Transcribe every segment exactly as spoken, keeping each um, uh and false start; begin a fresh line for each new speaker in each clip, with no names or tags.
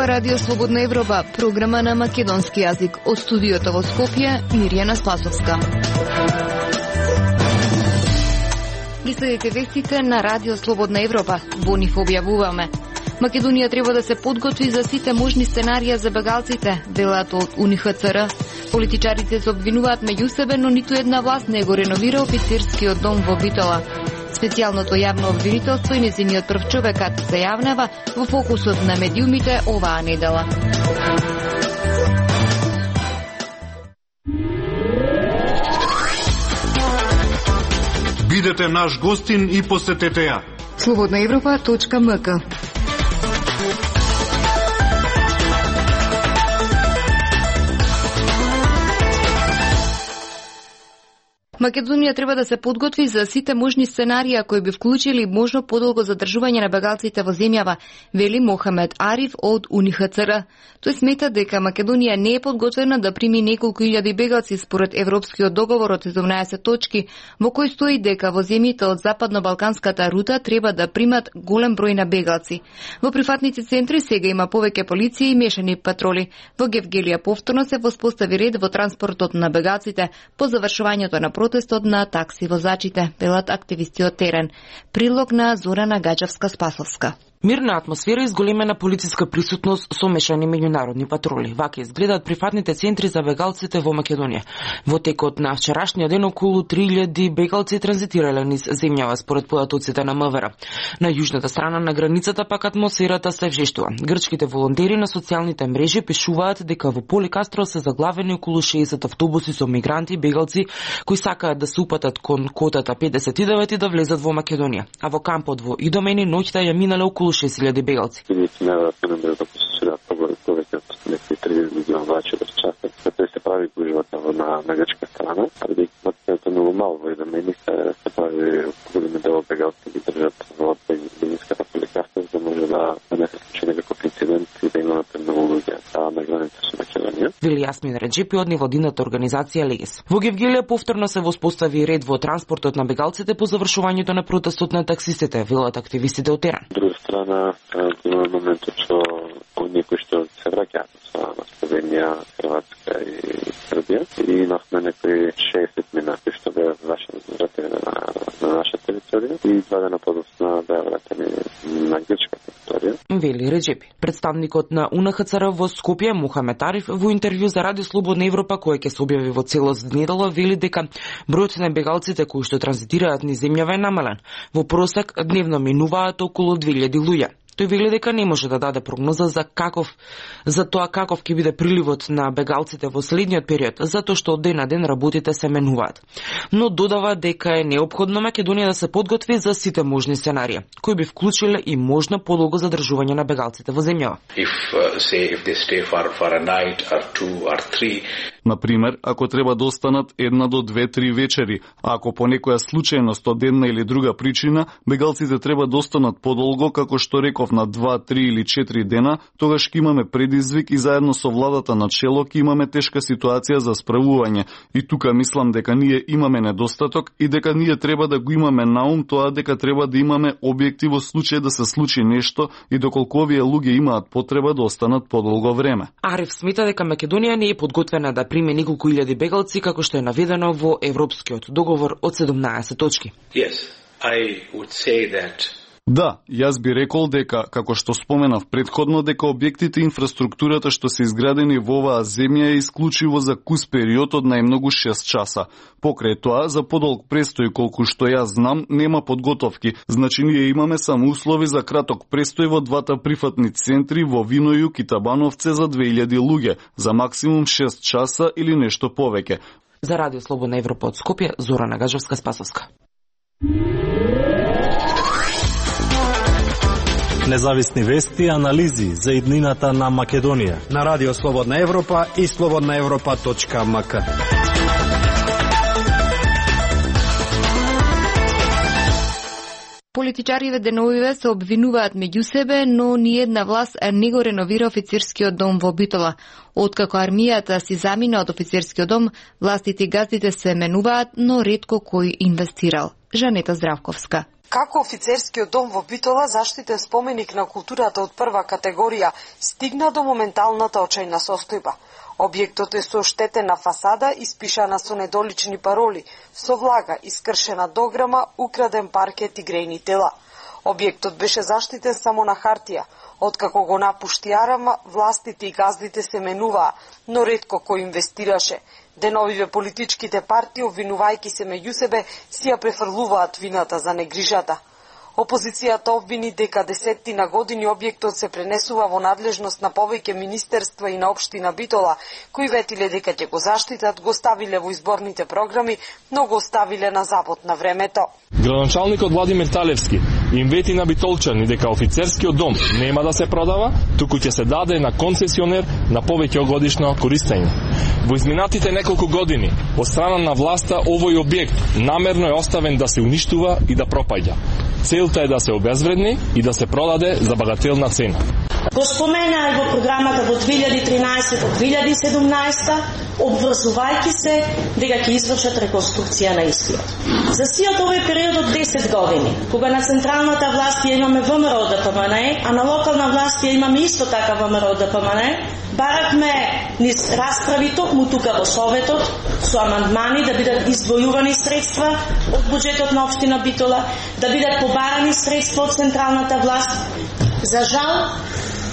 Радио Слободна Европа, програма на македонски јазик. Од студиото во Скопје, Мирјана Спасовска. Ги следите вестите на Радио Слободна Европа. Во нив објавуваме: Македонија треба да се подготви за сите можни сценарија за бегалците, велат од У Н Х Ц Р. Политичарите се обвинуваат меѓу себе, но ниту една власт не го реновира офицерскиот дом во Битола. Специјалното јавно обвинителство и нејзиниот прв човекат се јавнава во фокусот на медиумите оваа недела.
Бидете наш гостин и посетете ја.
слободна европа точка м к. Македонија треба да се подготви за сите можни сценарија кои би вклучили можно подолго задржување на бегалците во земјава, вели Мохамед Ариф од У Н Х Ц Р. Тој смета дека Македонија не е подготвена да прими неколку илјади бегалци според Европскиот договор од седумнаесет точки, во кој стои дека во земјите од западно-балканската рута треба да примат голем број на бегалци. Во прифатници центри сега има повеќе полиција и мешани патроли. Во Гевгелија повторно се воспостави ред во транспортот на бегалците по завршувањето на протестот на такси возачите, велат активисти од терен. Прилог на Зорана Гаџевска-Спасовска.
Мирна атмосфера и зголемена полициска присутност со мешани меѓународни патроли. Вака изгледаат прифатните центри за бегалците во Македонија. Во текот на вчерашниот ден околу три илјади бегалци транзитирале низ земјава според податоците на М В Р. На јужната страна на границата пак атмосферата се вжештува. Грчките волонтери на социјалните мрежи пишуваат дека во Поликастро се заглавени околу шеесет автобуси со мигранти и бегалци кои сакаат да се упатат кон котата педесет и девет и да влезат во Македонија. А во кампот во Идомени ноќта ја минале околу шест илјади бегалци.
Неверојатно да се посушират повеќе од некои триесет милиони влачи без часот. Тоа се прави гужвата на на грчка страна, а дека е многу мало во Идомени се се прави големи дел бегалци ги држат во бенинската Поликастро, за да може да не се случи некој инцидент и да имаме многу луѓе на граница со Македонија.
Вели Јасмин Реджепи од невладината организација Легес. Во Гевгелија повторно се воспостави ред во транспортот на бегалците по завршувањето на протестот на таксистите, велат активистите од терен.
Друга страна, има моментот што оние кои што се враќаат на Словенија, Хрватска и Србија и имавме некои шеесет минати што беа вратени на, на наша територија и два дена подоцна беа вратени на грчка територија.
Вели Реджепи. Представникот на У Н Х Ц Р во Скопје, Мухамед Ариф, во интервју за Радио Слободна Европа, кој ќе се објави во целост недела, вели дека бројот на бегалците кои што транзитираат низ земјава е намален. Во просек дневно минуваат околу две илјади луѓе. Тој вели дека не може да даде прогноза за каков за тоа каков ќе биде приливот на бегалците во следниот период, затоа што од ден на ден работите се менуваат. Но додава дека е неопходно Македонија да се подготви за сите можни сценарија, кои би вклучиле и можно подолго задржување на бегалците во земјава.
If uh, say if they stay for for a night or two or three.
Например, ако треба да останат една до две-три вечери, а ако по некоја случајност од една или друга причина, бегалците треба да останат подолго, како што реков, на два, три или четири дена, тогаш ќе имаме предизвик и заедно со владата на чело ќе имаме тешка ситуација за справување. И тука мислам дека ние имаме недостаток и дека ние треба да го имаме на ум тоа дека треба да имаме објекти во случај да се случи нешто и доколку овие луѓе имаат потреба да останат подолго време.
Ариф смета дека Македонија не е подготвена да приме неколку илјади бегалци како што е наведено во Европскиот договор од седумнаесет точки.
Yes, I would say that.
Да, јас би рекол дека, како што споменав предходно, дека објектите и инфраструктурата што се изградени во оваа земја е исклучиво за кус период од најмногу шест часа. Покрај тоа, за подолг престој колку што јас знам, нема подготовки. Значи ние имаме само услови за краток престој во двата прифатни центри во Винојук и Табановце за две илјади луѓе, за максимум шест часа или нешто повеќе.
За Радио Слободна Европа од Скопје, Зорана Гаџевска-Спасовска.
Независни вести и анализи за иднината на Македонија
на Радио Слободна Европа и слободна европа точка м к.
Политичариве деновиве се обвинуваат меѓу себе, но ниедна власт не го реновира офицерскиот дом во Битола. Откако армијата си замина од офицерскиот дом, властите и газдите се менуваат, но ретко кој инвестирал. Жанета Здравковска.
Како офицерскиот дом во Битола, заштитен споменик на културата од прва категорија, стигна до моменталната очајна состојба. Објектот е со оштетена фасада, испишана со недолични пароли, со влага, искршена дограма, украден паркет и грејни тела. Објектот беше заштитен само на хартија. Откако го напушти Арама, властите и газдите се менуваа, но ретко кој инвестираше. Деновиве политичките партии, обвинувајќи се меѓу себе, си ја префрлуваат вината за негрижата. Опозицијата обвини дека десеттина години објектот се пренесува во надлежност на повеќе министерства и на општина Битола, кои ветиле дека ќе го заштитат, го ставиле во изборните програми, но го оставиле на забот на времето.
Градоначалникот Владимир Талевски им вети на битолчани дека офицерскиот дом нема да се продава, туку ќе се даде на концесионер на повеќе годишно користење. Во изминатите неколку години, од страна на власта, овој објект намерно е оставен да се уништува и да пропаѓа. Целта е да се обезвредни и да се продаде за багателна цена.
Го спомена и во програмата во две илјади и тринаесета до две илјади и седумнаесета, обврзувајќи се дека ќе извршат реконструкција на истиот. За сиот овој период од десет години, кога на централната власт ја имаме ВМРО ДПМН, а на локална власт ја имаме исто така ВМРО ДПМН, баравме низ расправи токму тука во Советот со амандмани да бидат издвојувани средства од буџетот на општина Битола, да бидат побарани средства од централната власт. За жал,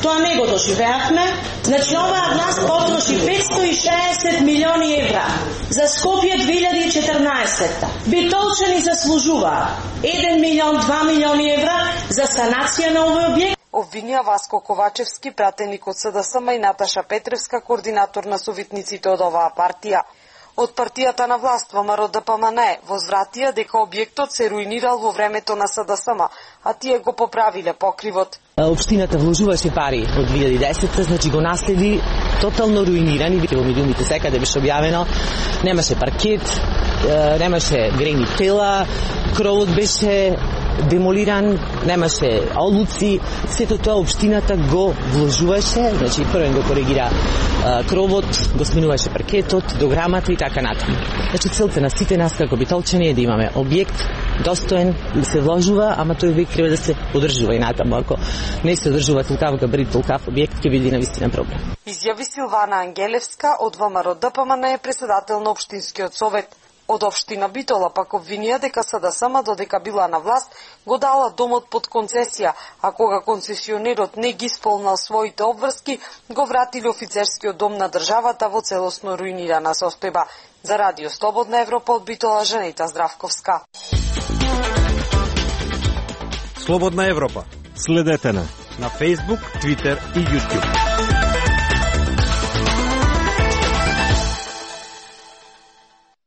тоа не го доживеавме. Значи, оваа власт потроши петстотини и шеесет милиони евра за Скопје две илјади и четрнаесета. Битолчани заслужуваа еден милион, два милиони евра за санација на овој објект.
Обвинија Васко Ковачевски, пратеник од СДСМ, и Наташа Петревска, координатор на совитниците од оваа партија. Од партијата на власт ВМРО ДПМН возвратија дека објектот се руинирал во времето на СДСМ, а тие го поправиле покривот.
Општината вложуваше пари од две илјади и десета, значи го наследи тотално руинирани, во медиумите секаде беше објавено, немаше паркет, немаше грејни тела, кровот беше демолиран, немаше олуци, сето тоа општината го вложуваше, значи првен го коригира кровот, го сменуваше паркетот, дограмата и така натаму. Значи целта на сите нас како битолчани е да имаме објект достоен, да се вложува, ама тој објект треба да се одржува и натаму. Ако не се одржува толкав габарит, толкав објект, ќе биде навистина проблем.
Изјави Силвана Ангелевска од ВМРО ДПМН, председател на општинскиот совет. Од општина Битола пак обвинија дека СДСМ додека била на власт го дала домот под концесија, а кога концесионерот не ги исполнал своите обврски, го вратили офицерскиот дом на државата во целосно руинирана состојба. За Радио Слободна Европа од Битола, Жанета Здравковска.
Слободна Европа.
Следете на
на Facebook, Twitter и YouTube.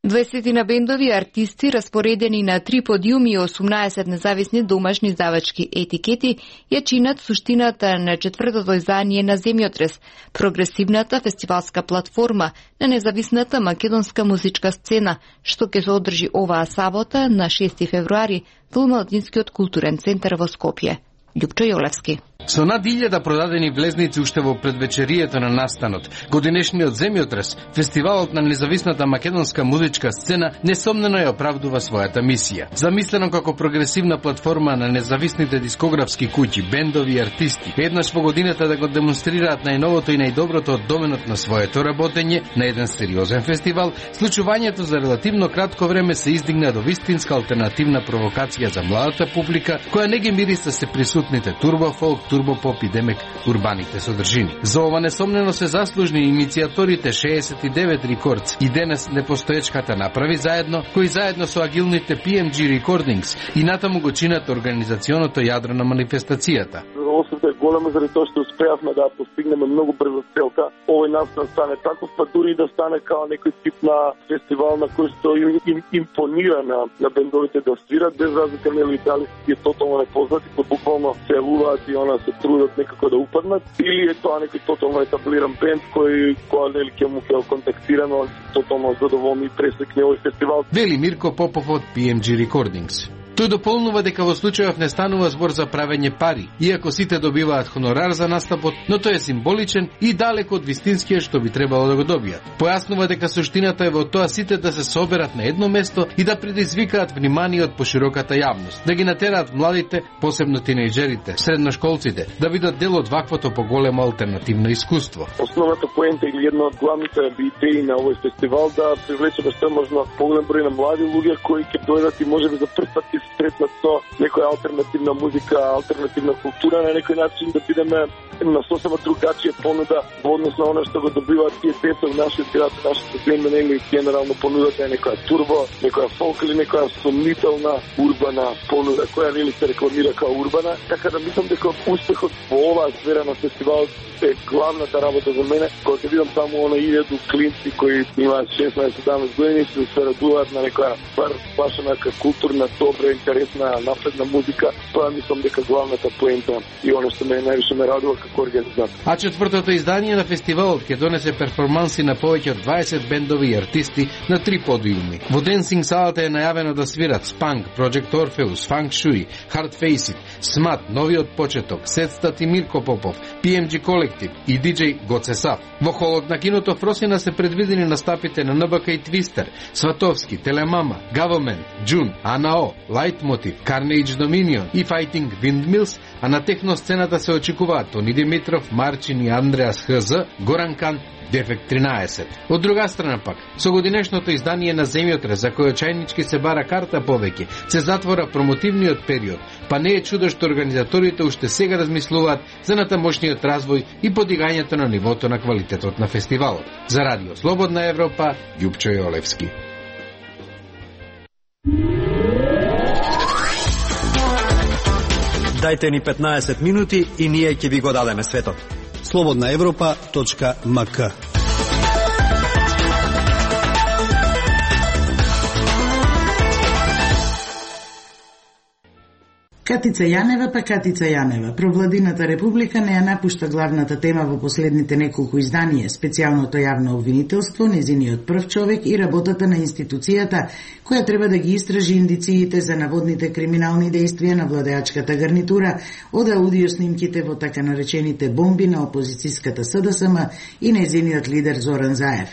дваесет бендови и артисти, распоредени на три подиуми и осумнаесет независни домашни издавачки етикети, ја чинат суштината на четвртото издание на Земјотрес, прогресивната фестивалска платформа на независната македонска музичка сцена, што ќе се одржи оваа сабота на шести февруари во Младинскиот културен центар во Скопје. Љупчо Јолевски.
Со над илјада продадени влезници уште во предвечерието на настанот, годинешниот Земјотрес, фестивалот на независната македонска музичка сцена, несомнено ја оправдува својата мисија. Замислено како прогресивна платформа на независните дискографски куќи, бендови и артисти, еднаш во годината да го демонстрираат најновото и најдоброто од доменот на своето работење на еден сериозен фестивал, случувањето за релативно кратко време се издигна до вистинска алтернативна провокација за младата публика, која не ги мириса се присутните турбофолк, турбопоп и демек урбаните содржини. За ова несомнено се заслужни иницијаторите шеесет и девет Records и денес непостоечката направи заедно, кои заедно со агилните пи ем джи Recordings и натаму го чинат организационото јадро на манифестацијата.
Освета е голема заради тоа што успеавме да постигнеме многу брзо целта. Овој настан стане таков, па дури и да стане као некој тип на фестивал на кој што им, им импонира на, на бендовите да свират, без разлика нели дали е тотално непознати, кои буквално се јавуваат и она се трудат некако да упаднат, или е тоа некој тотално етаблиран бенд кој која нели ќе му ќе контактирано тотално задоволни и пресекне овој фестивал.
Вели Мирко Попов од пи ем джи Recordings. Тој дополнува дека во случајов не станува збор за правење пари, иако сите добиваат хонорар за настапот, но тој е символичен и далеко од вистинскиот што би требало да го добијат. Појаснува дека суштината е во тоа сите да се соберат на едно место и да предизвикаат внимание од пошироката јавност, да ги натераат младите, посебно тинејџерите, средношколците, да видат дел од ваквото поголемо алтернативно искуство.
Основната поента или една од главните идеи на овој фестивал да привлечеме што можно поголем број на млади луѓе кои ќе дојдат и можеби за прв пат ќе се сретнат со некоја алтернативна музика, алтернативна култура, на некој начин да бидеме на сосема другачија понуда во однос на она што го добиваат тие деца во нашиот град, нашата земја, или генерално понудата е некоја турбо, некоја фолк или некоја сомнителна урбана понуда која нели се рекламира као урбана, така да мислам дека успехот во оваа сфера на фестивалот е главната работа за мене, кога ќе видам таму она илјаду клинци кои имаат шеснаесет-седамнаесет години и се радуваат на некоја бар башена културна, добра, интересна, напредна музика, тоа мислам дека главната поента и она што мене највише ме радува како организатор.
А четвртото издание на фестивалот ќе донесе перформанси на повеќе од дваесет бендови и артисти на три подиуми. Во денсинг салата е најавено да свират Spunk, Project Orpheus, Funk Shui, Hard Face It, Смат, Новиот почеток, Сетстат и Мирко Попов, пи ем джи Колектив и диџеј Гоце Сав. Во холот на киното Фросина се предвидени настапите на ен би ка и Твистер, Сватовски, Телемама, Government, Джун, АНАО, Лайтмотив, Carnage Dominion и Fighting Windmills, а на техносцената се очекуваат Тони Димитров, Марчин и Андреас ХЗ, Горан Кан, Дефект тринаесет. Од друга страна пак, со годинешното издание на Земјотрес, за кој очајнички се бара карта повеќе, се затвора промотивниот период, па не е чудо што организаторите уште сега размислуваат за натамошниот развој и подигањето на нивото на квалитетот на фестивалот. За Радио Слободна Европа, Љупчо Јолевски.
Дајте ни петнаесет минути и ние ќе ви го дадеме светот. слободна европа точка ем ка.
Катица Јанева па Катица Јанева. Провладината република не ја напушта главната тема во последните неколку изданија, специјалното јавно обвинителство, незиниот прв човек и работата на институцијата, која треба да ги истражи индициите за наводните криминални дејствија на владеачката гарнитура од аудио снимките во така наречените бомби на опозицијската С Д С М и незиниот лидер Зоран Заев.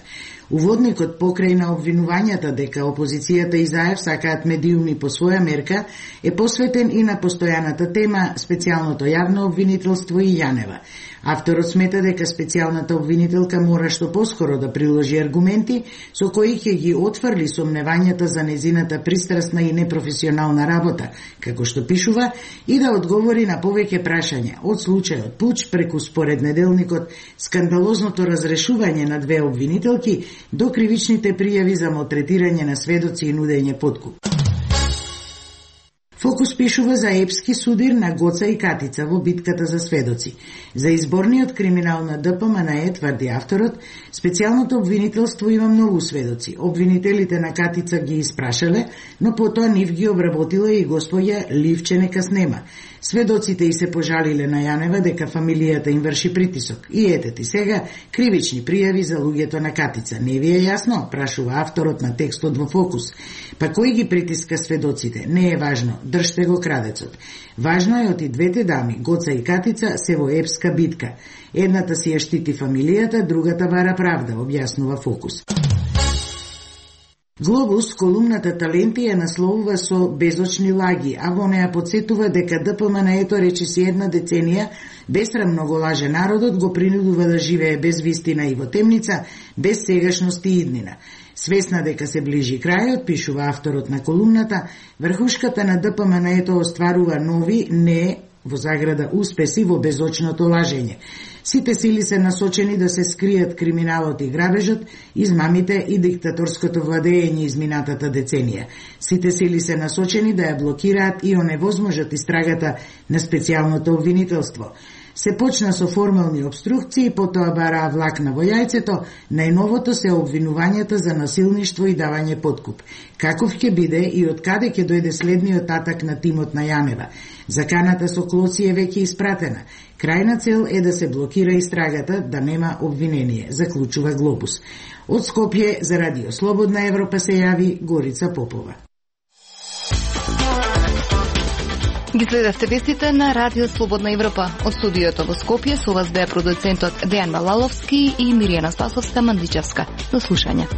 Уводникот покрај на обвинувањата дека опозицијата и Заев сакаат медиуми по своја мерка е посветен и на постојаната тема специјалното јавно обвинителство и Јанева. Авторот смета дека специјалната обвинителка мора што поскоро да приложи аргументи со кои ќе ги отфрли сомневањата за незината пристрасна и непрофесионална работа, како што пишува, и да одговори на повеќе прашања, од случајот Пуч преку според неделникот скандалозното разрешување на две обвинителки до кривичните пријави за малтретирање на сведоци и нудење подкуп. Фокус пишува за епски судир на Гоца и Катица во битката за сведоци. За изборниот криминал на Д П М Н Е, тврди авторот, специјалното обвинителство има многу сведоци. Обвинителите на Катица ги испрашале, но потоа нив ги обработила и господја Ливче Некаснема. Сведоците и се пожалиле на Јанева дека фамилијата им врши притисок. И ете ти сега кривични пријави за луѓето на Катица. Не ви е јасно, прашува авторот на текстот во Фокус. Па кој ги притиска сведоците? Не е важно, држте го крадецот. Важно е од и двете дами, Гоца и Катица, се во епска битка. Едната си ја штити фамилијата, другата бара правда, објаснува Фокус. Глобус, колумната Таленти ја насловува со безочни лаги, а во неа подсетува дека Д П М Н Е-то речиси една деценија бесрамно го лаже народот, го принудува да живее без вистина и во темница, без сегашност и иднина. Свесна дека се ближи крајот, пишува авторот на колумната, врхушката на Д П М Н Е-то остварува нови, не во заграда успеси во безочното лажење. Сите сили се насочени да се скријат криминалот и грабежот, измамите и диктаторското владење изминатата деценија. Сите сили се насочени да ја блокираат и оневозможат истрагата на специјалното обвинителство. Се почна со формални обструкции, потоа бараа влакна во јајцето, најновото се обвинувањата за насилништво и давање подкуп. Каков ќе биде и од каде ќе дојде следниот атак на тимот на Јанева? Заканата со клоци е веќе испратена. Крајна цел е да се блокира истрагата, да нема обвинение, заклучува Глобус. Од Скопје за Радио Слободна Европа се јави Горица Попова.
Ги следевте вестите на Радио Слободна Европа. Од студиото во Скопје со вас беа продуцентот Дејан Малаловски и Миријана Спасовска Мандличевска. До слушање.